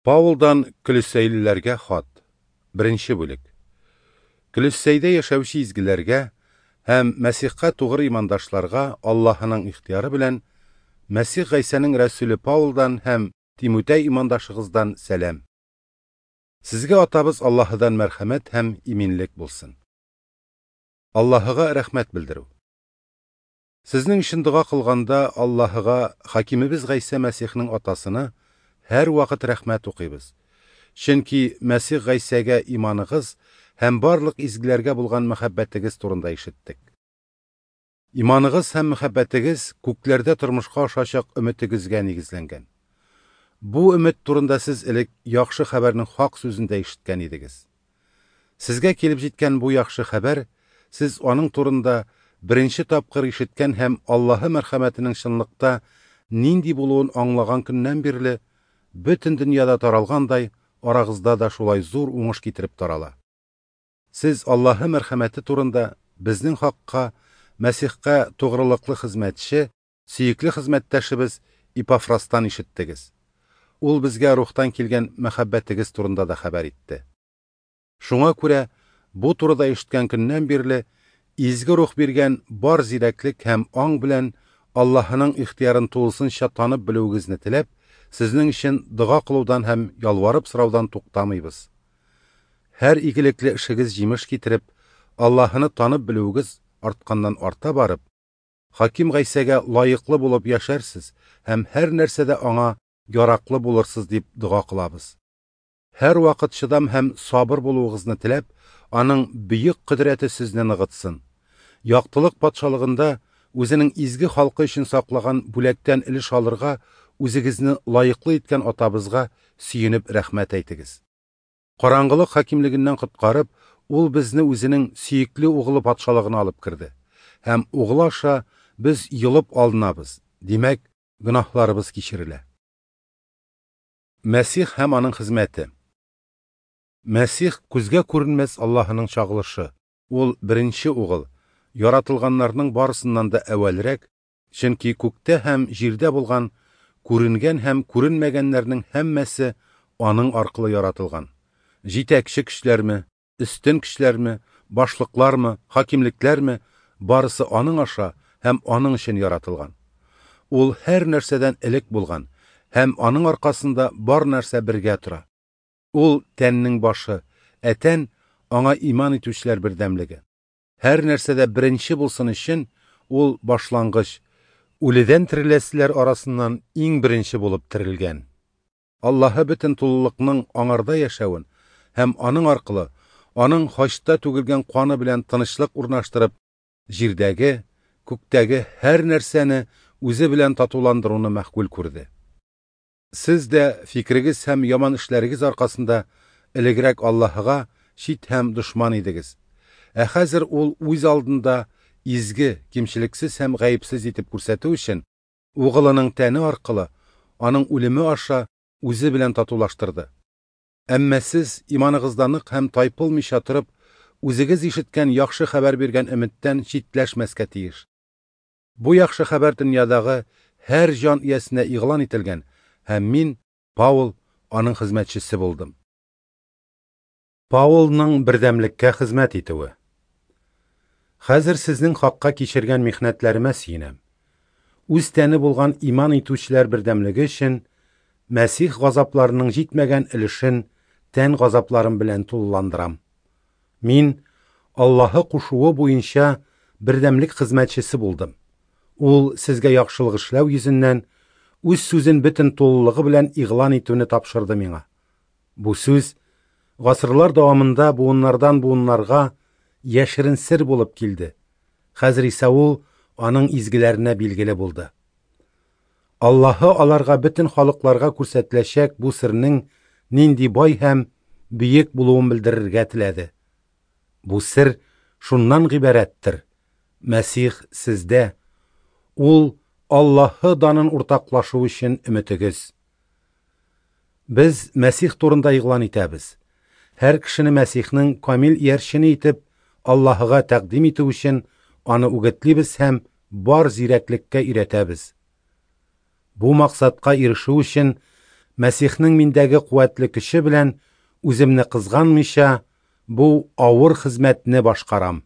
Паулдан Көлессәйлеләргә хат. Беренче бүлек. Көлессәйдә яшәүче изгеләргә һәм Мәсихкә тугры имандашларга Аллаһының ихтыяры белән Мәсих Гайсәнең рәсүле Паулдан һәм Тимутәй имандашыгыздан сәлам. Сезгә Атабыз Аллаһыдан мәрхәмәт һәм иминлек булсын. Аллаһыга рәхмәт белдерү. Сезнең өчен дога кылганда Аллаһыга, хакимебез Гайсә Мәсихнең атасына һәрвакыт рәхмәт укыйбыз. Чөнки Мәсих Гайсәгә иманыгыз һәм барлык изгеләргә булган мәхәббәтегез турында ишеттек. Иманыгыз һәм мәхәббәтегез күкләрдә тормышка ашачак өметегезгә нигезләнгән. Бу өмет турында сез элек яхшы хәбәрнең хак сүзен дә ишеткән идегез. Сезгә килеп җиткән бу яхшы хәбәр, сез аның турында беренче тапкыр ишеткән һәм Аллаһы мәрхәмәтенең чынлыкта нинди булуын аңлаган көннән бирле бөтен дөньяда таралгандай, арагызда да шулай зур уңыш китереп тарала. Сез Аллаһы мәрхәмәте турында безнең хакка Мәсихкә тугрылыклы хезмәтче, сөекле хезмәттәшебез Ипафрастан ишеттегез. Ул безгә рухтан килгән мәхәббәтегез турында да хәбәр итте. Шуңа күрә бу турыда ишеткән көннән бирле изге рух биргән бар зирәклек һәм аң белән Аллаһының ихтыярын тулысынча танып белүегезне теләп, сезнең өчен дога кылудан һәм ялварып сораудан туктамыйбыз. Һәр игелекле эшегез җимеш китереп, Аллаһыны танып белүегез артканнан арта барып, Хаким Гайсәгә лаеклы булып яшәрсез һәм һәр нәрсәдә аңа яраклы булырсыз дип дога кылабыз. Һәр вакыт чыдам һәм сабыр булуыгызны теләп, аның бөек кодрәте сезне ныгытсын. Яктылык патшалыгында үзенең изге халкы өчен саклаган бүләктән өлеш алырга үзегезне лаеклы иткән атабызга сөенеп рәхмәт әйтегез. Караңгылык хакимлегеннән коткарып, ул безне үзенең сөекле угылы патшалыгына алып керде. Һәм угылы аша без йолып алынабыз. Димәк, гөнаһларыбыз кичерелә. Мәсих һәм аның хезмәте. Мәсих күзгә күренмәс Аллаһының чагылышы. Ул беренче угыл, яратылганнарның барысыннан да әүвәлрәк, чөнки күктә һәм җирдә булган күренгән һәм күренмәгәннәрнең һәммәсе аның аркылы яратылган. Җитәкче көчләрме, өстен көчләрме, башлыклармы, хакимлекләрме, барысы аның аша һәм аның өчен яратылган. Ул һәр нәрсәдән элек булган һәм аның аркасында бар нәрсә бергә тора. Ул тәннең башы, ә тән аңа иман итүчеләр бердәмлеге. Һәр нәрсәдә беренче булсын өчен ул башлангыч, үледән тереләселәр арасыннан иң беренче булып терелгән. Аллаһы бөтен тулылыкның аңарда яшәвен һәм аның аркылы аның хачта түгелгән каны белән тынычлык урнаштырып, җирдәге, күктәге һәр нәрсәне үзе белән татуландыруны мәхкүл күрде. Сез дә фикрегез һәм яман эшләрегез аркасында элегрәк Аллаһыга чит һәм дошман идегез. Ә хәзер ул үз алдында изге, кимчелексез һәм гаепсез итеп күрсәтү өчен угылының тәне аркылы аның үлеме аша үзе белән татулаштырды. Әмма сез иманыгызда нык һәм тайпылмыйча торып, үзегез ишеткән яхшы хәбәр биргән өметтән читләшмәскә тиеш. Бу яхшы хәбәр дөньядагы һәр җан иясенә игълан ителгән, һәм мин, Паул, аның хезмәтчесе булдым. Паулның бердәмлеккә хезмәт итүе. Хәзер сезнең хакка кичергән михнәтләремә сөенәм. Үз тәне булган иман итүчеләр бердәмлеге өчен Мәсих газапларының җитмәгән өлешен тән газапларым белән тулыландырам. Мин Аллаһы кушуы буенча бердәмлек хезмәтчесе булдым. Ул сезгә яхшылык эшләү йөзеннән үз сүзен бөтен тулылыгы белән игълан итүне тапшырды миңа. Бу сүз гасырлар дәвамында буыннардан буыннарга яшерен сер булып килде. Хәзер исә ул аның изгеләренә билгеле булды. Аллаһы аларга бөтен халыкларга күрсәтеләчәк бу сернең нинди бай һәм бөек булуын белдерергә теләде. Бу сер шуннан гыйбарәттер: Мәсих сездә, ул Аллаһы данын уртаклашу өчен өметегез. Без Мәсих турында игълан итәбез. Һәр кешене Мәсихнең камил иярчене итеп Аллаһыга тәкъдим итү өчен аны үгетлибез һәм бар зирәклеккә өйрәтәбез. Бу максатка ирешү өчен Мәсихнең миндәге куәтле көче белән үземне кызганмыйча, бу авыр хезмәтне башкарам.